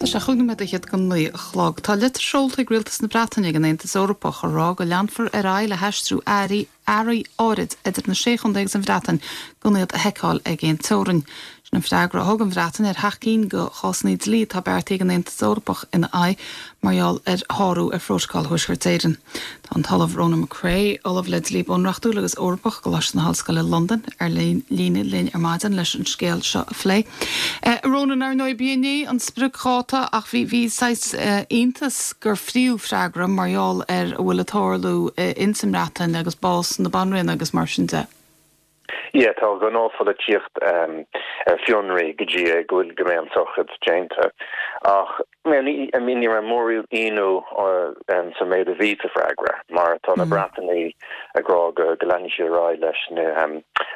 Tá sé chúig nóiméad fhichead go 9 a chlog. Tá litir seolta ag Rialtas na Breataine ag an Aontas Eorpach a rá go leanfar ar aghaidh le haistriú earraí earraí áirid idir na Sé Chontae agus an Bhreatain gan iad a sheiceáil ag aon teorainn. Sin an freagra a thug an Bhreatain ar sheacht gcinn de chásanna dlí atá beartaithe ag an Aontas Eorpach ina aghaidh mar gheall ar shárú ar Phrótacal Thuaisceart Éireann. Tá an tOllamh Ronan McCrea, Ollamh le Dlí Bunreachtúil agus Eorpach i gColáiste na hOllscoile Londain, ar líne linn ar maidin leis an scéal seo a phlé. A Ronan, ar ndóigh, b'í inné an spriocdháta ach bhí bhí saghas iontas gur phríomhfhreagra mar gheall ar a bhfuil ag tarlú ins an mBreatain agus bás na Banríona agus mar sin de. Yeah, tá gnáthpholaitíocht ar fionraí go dtí go bhfuil go mbeidh an tsochraid déanta. Ach ní I mean ní raibh mórán ionadh sa méid a bhí sa bhfreagra mar tá na Breatanaigh ag rá go go leanfaidh siad ar aghaidh leis na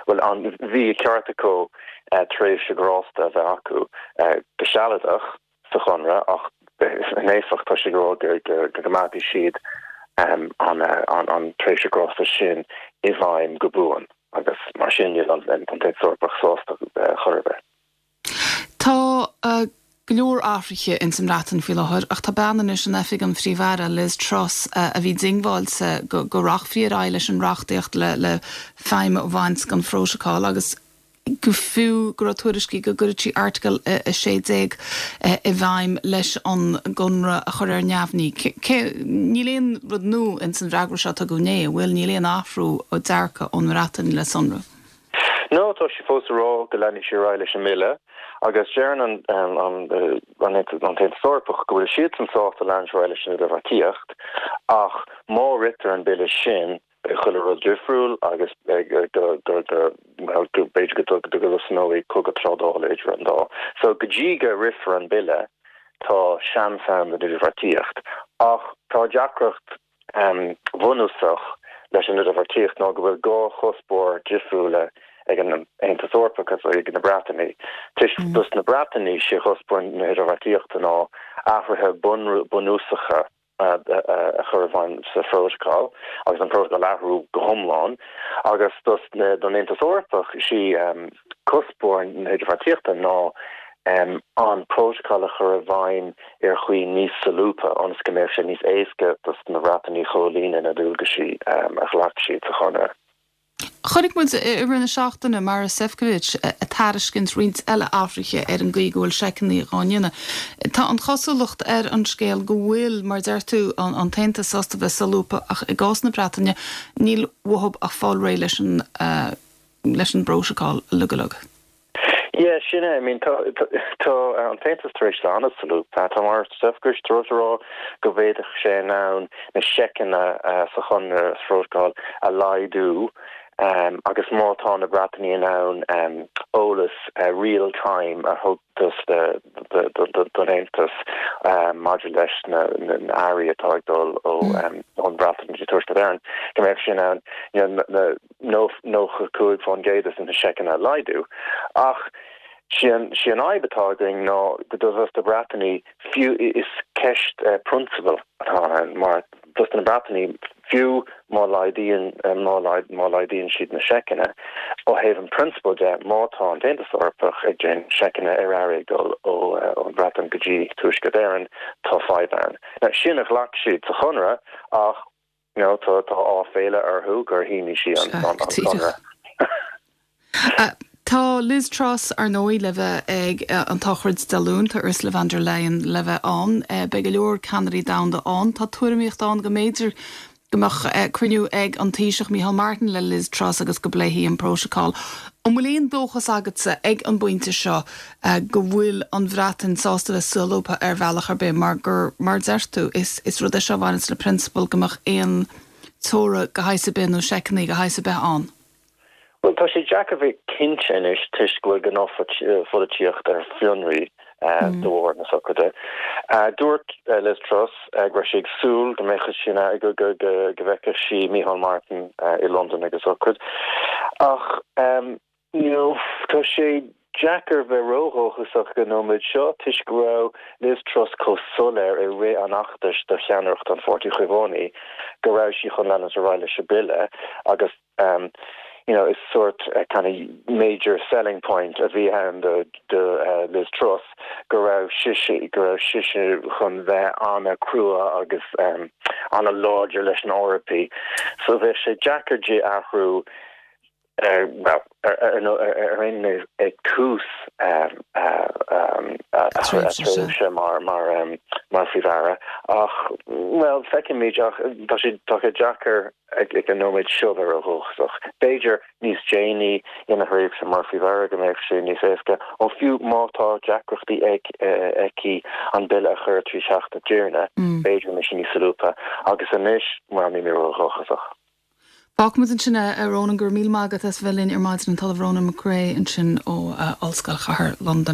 bhuel an bhí a ceart acu tréimhse grásta a bheith acu go sealadach sa chonradh ach in éifeacht tá siad ag rá go gcoimeádfaidh siad an tréimhse grásta sin i bhfeidhm go buan agus mar sin níl an tAontas Eorpach sásta chor ar bith. Tá go leor athruithe ins an mBreatain faoi láthair ach tá bean anois in oifig an Phríomh-Aire, Liz Truss, a bhí diongbháilte go rachfaí ar aghaidh leis an reachtaíocht le feidhm a bhaint den phrótacal agus go fiú go raibh tuairiscí go gcuirfeadh sí Airteagal 16 i bhfeidhm leis an gconradh a chur ar neamhní. Cé, níl aon rud nua ins an bhfreagra seo a tugadh inné, an bhfuil? Níl aon athrú dearcadh ón mBreatain le sonrú. No, tá sí fós ag rá go leanfaidh sí ar aghaidh leis an mbille agus deireann an tAontas Eorpach go bhfuil siadsan sásta leanúint ar aghaidh leis an idirbheartaíocht ach má ritear an bille sin Beidh chuile rud difriúil agus b'fhéidir go dtosnóidh cogadh trádála idir an dá. So go dtí go rithfear an bille tá seans ann don idirbheartaíocht. Ach tá deacracht bhunúsach leis an idirbheartaíocht ná go bhfuil dhá chuspóir difriúla ag an Aontas Eorpach agus ag na Breatanaigh. Toisc dos na Breatanaigh sé chuspóir na hidirbheartaíochta ná athruithe bunúsacha a chur i bhfeidhm sa phrótacal agus an prótacal a athrú go hiomlán agus dos don Aontas Eorpach sí cuspóir na hidirbheartaíochta ná an prótacal a chur i bhfeidhm ar chaoi níos solúbtha ionas go mbeadh sé níos éasca dos na Breatanaigh comhlíonadh na dualgaisí a ghlac siad sa chonradh. Chonaic muid i rith na seachtaine Maros Sefcovic ag tairiscint roinnt eile athruithe ar an gcaoi go bhfuil seiceanna dhá ndéanamh. Tá an chosúlacht ar an scéal go bhfuil, mar a deir tú, an tAontas sásta bheith solúbtha ach i gcás na Breataine níl uathu ach fáil réidh leis an leis an bprótacal uilig uilig. Yeah, sin é. I mean, tá, tá an tAontas tar éis bheith an-solúbtha. Tá Maros Sefcovic tar éis a rá go bhféadfadh sé in ann na seiceanna sa chonradh, sa phrótacal, a laghdú agus má tá na Breatanaigh in ann eolas real time a thabhairt don Aontas maidir leis na earraí atá ag dul ón Bhreatain go dtí Tuaisceart Éireann, go mbeadh sé in ann you know, na 95% de na seiceanna a laghdú. Ach sí an fhadhb atá againn ná go dos na Breatanaigh, fiú is ceist prionsabail atá ann mar dos na Breatanaigh, fiú má laghdaíonn má laghdaíonn siad na seiceanna, ó thaobh an prionsabail de, má tá an tAontas Eorpach ag déanamh seiceanna ar earraí ag dul ón Bhreatain go dtí Tuaisceart Éireann, tá fadhb ann. Now sin a ghlac siad sa chonradh ach You know, tá tá áiféala orthu gur shínigh sí an conradh. Tá Liz Truss, ar ndóigh, le bheith ag an tsochraid Dé Luain, tá Ursula von der Leyen le bheith ann, beidh go leor ceannairí domhanda ann. Tá tuairimíocht ann go mb'fhéidir go mbeadh cruinniú ag an Taoiseach Micheál Martin le Liz Truss agus go bpléifí an prótacal. An bhfuil aon dóchas agatsa ag an bpointe seo go bhfuil an Bhreatain sásta bheith solúbtha ar bhealach ar bith mar gur, mar a deir tú, is is rud é seo a bhaineanns le prionsabal go mbeadh aon teora de shaghas ar bith nó seiceanna de shaghas ar bith ann. Bhuel, tá sé deacair bheith cinnte anois toisc go bhfuil gnáthpholaitíocht ar fionraí de bharr na sochraide. Dúirt Liz Truss go raibh sí ag súil go mbeadh sí in ann go bhfeicfeadh sí Micheál Martin i Londain ag an sochraid. Ach you know, tá sé deacair bheith ródhóchasach ag an nóiméad seo toisc go raibh Liz Truss chomh soiléir i rith an fheachtais do cheannaireacht an Pháirtí Chaomhánaigh go raibh sí chun leanúint ar aghaidh leis an bille agus. you know, is sórt kind of major selling point a bhí ann do do Liz Truss go raibh sise go raibh sise chun bheith an-chrua agus an-láidir leis na Eorpaigh. So bheadh sé deacair di athrú ar well ar ar aon nós ag tús a tréimhse mar mar mar Phríomh-Aire ach well feicfimid ach tá sé tá sé deacair ag an nóiméad seo bheith ródhóchasach. B'fhéidir níos déanaí ina thréimhse mar Phríomh-Aire go mbeadh sé níos éasca, nó fiú má tá deacrachtaí ag aici an bille a chur trí Theach na dTiarnaí, b'fhéidir go mbeidh sé níos solúbtha. Agus anois, bhuel, níl mé ródhóchasach. Fágfaimid ansin é, a Ronan. Go raibh míle maith agat as bheith linn ar maidin, an tOllamh Ronan McCrea ansin ó Ollscoil Chathair Londain.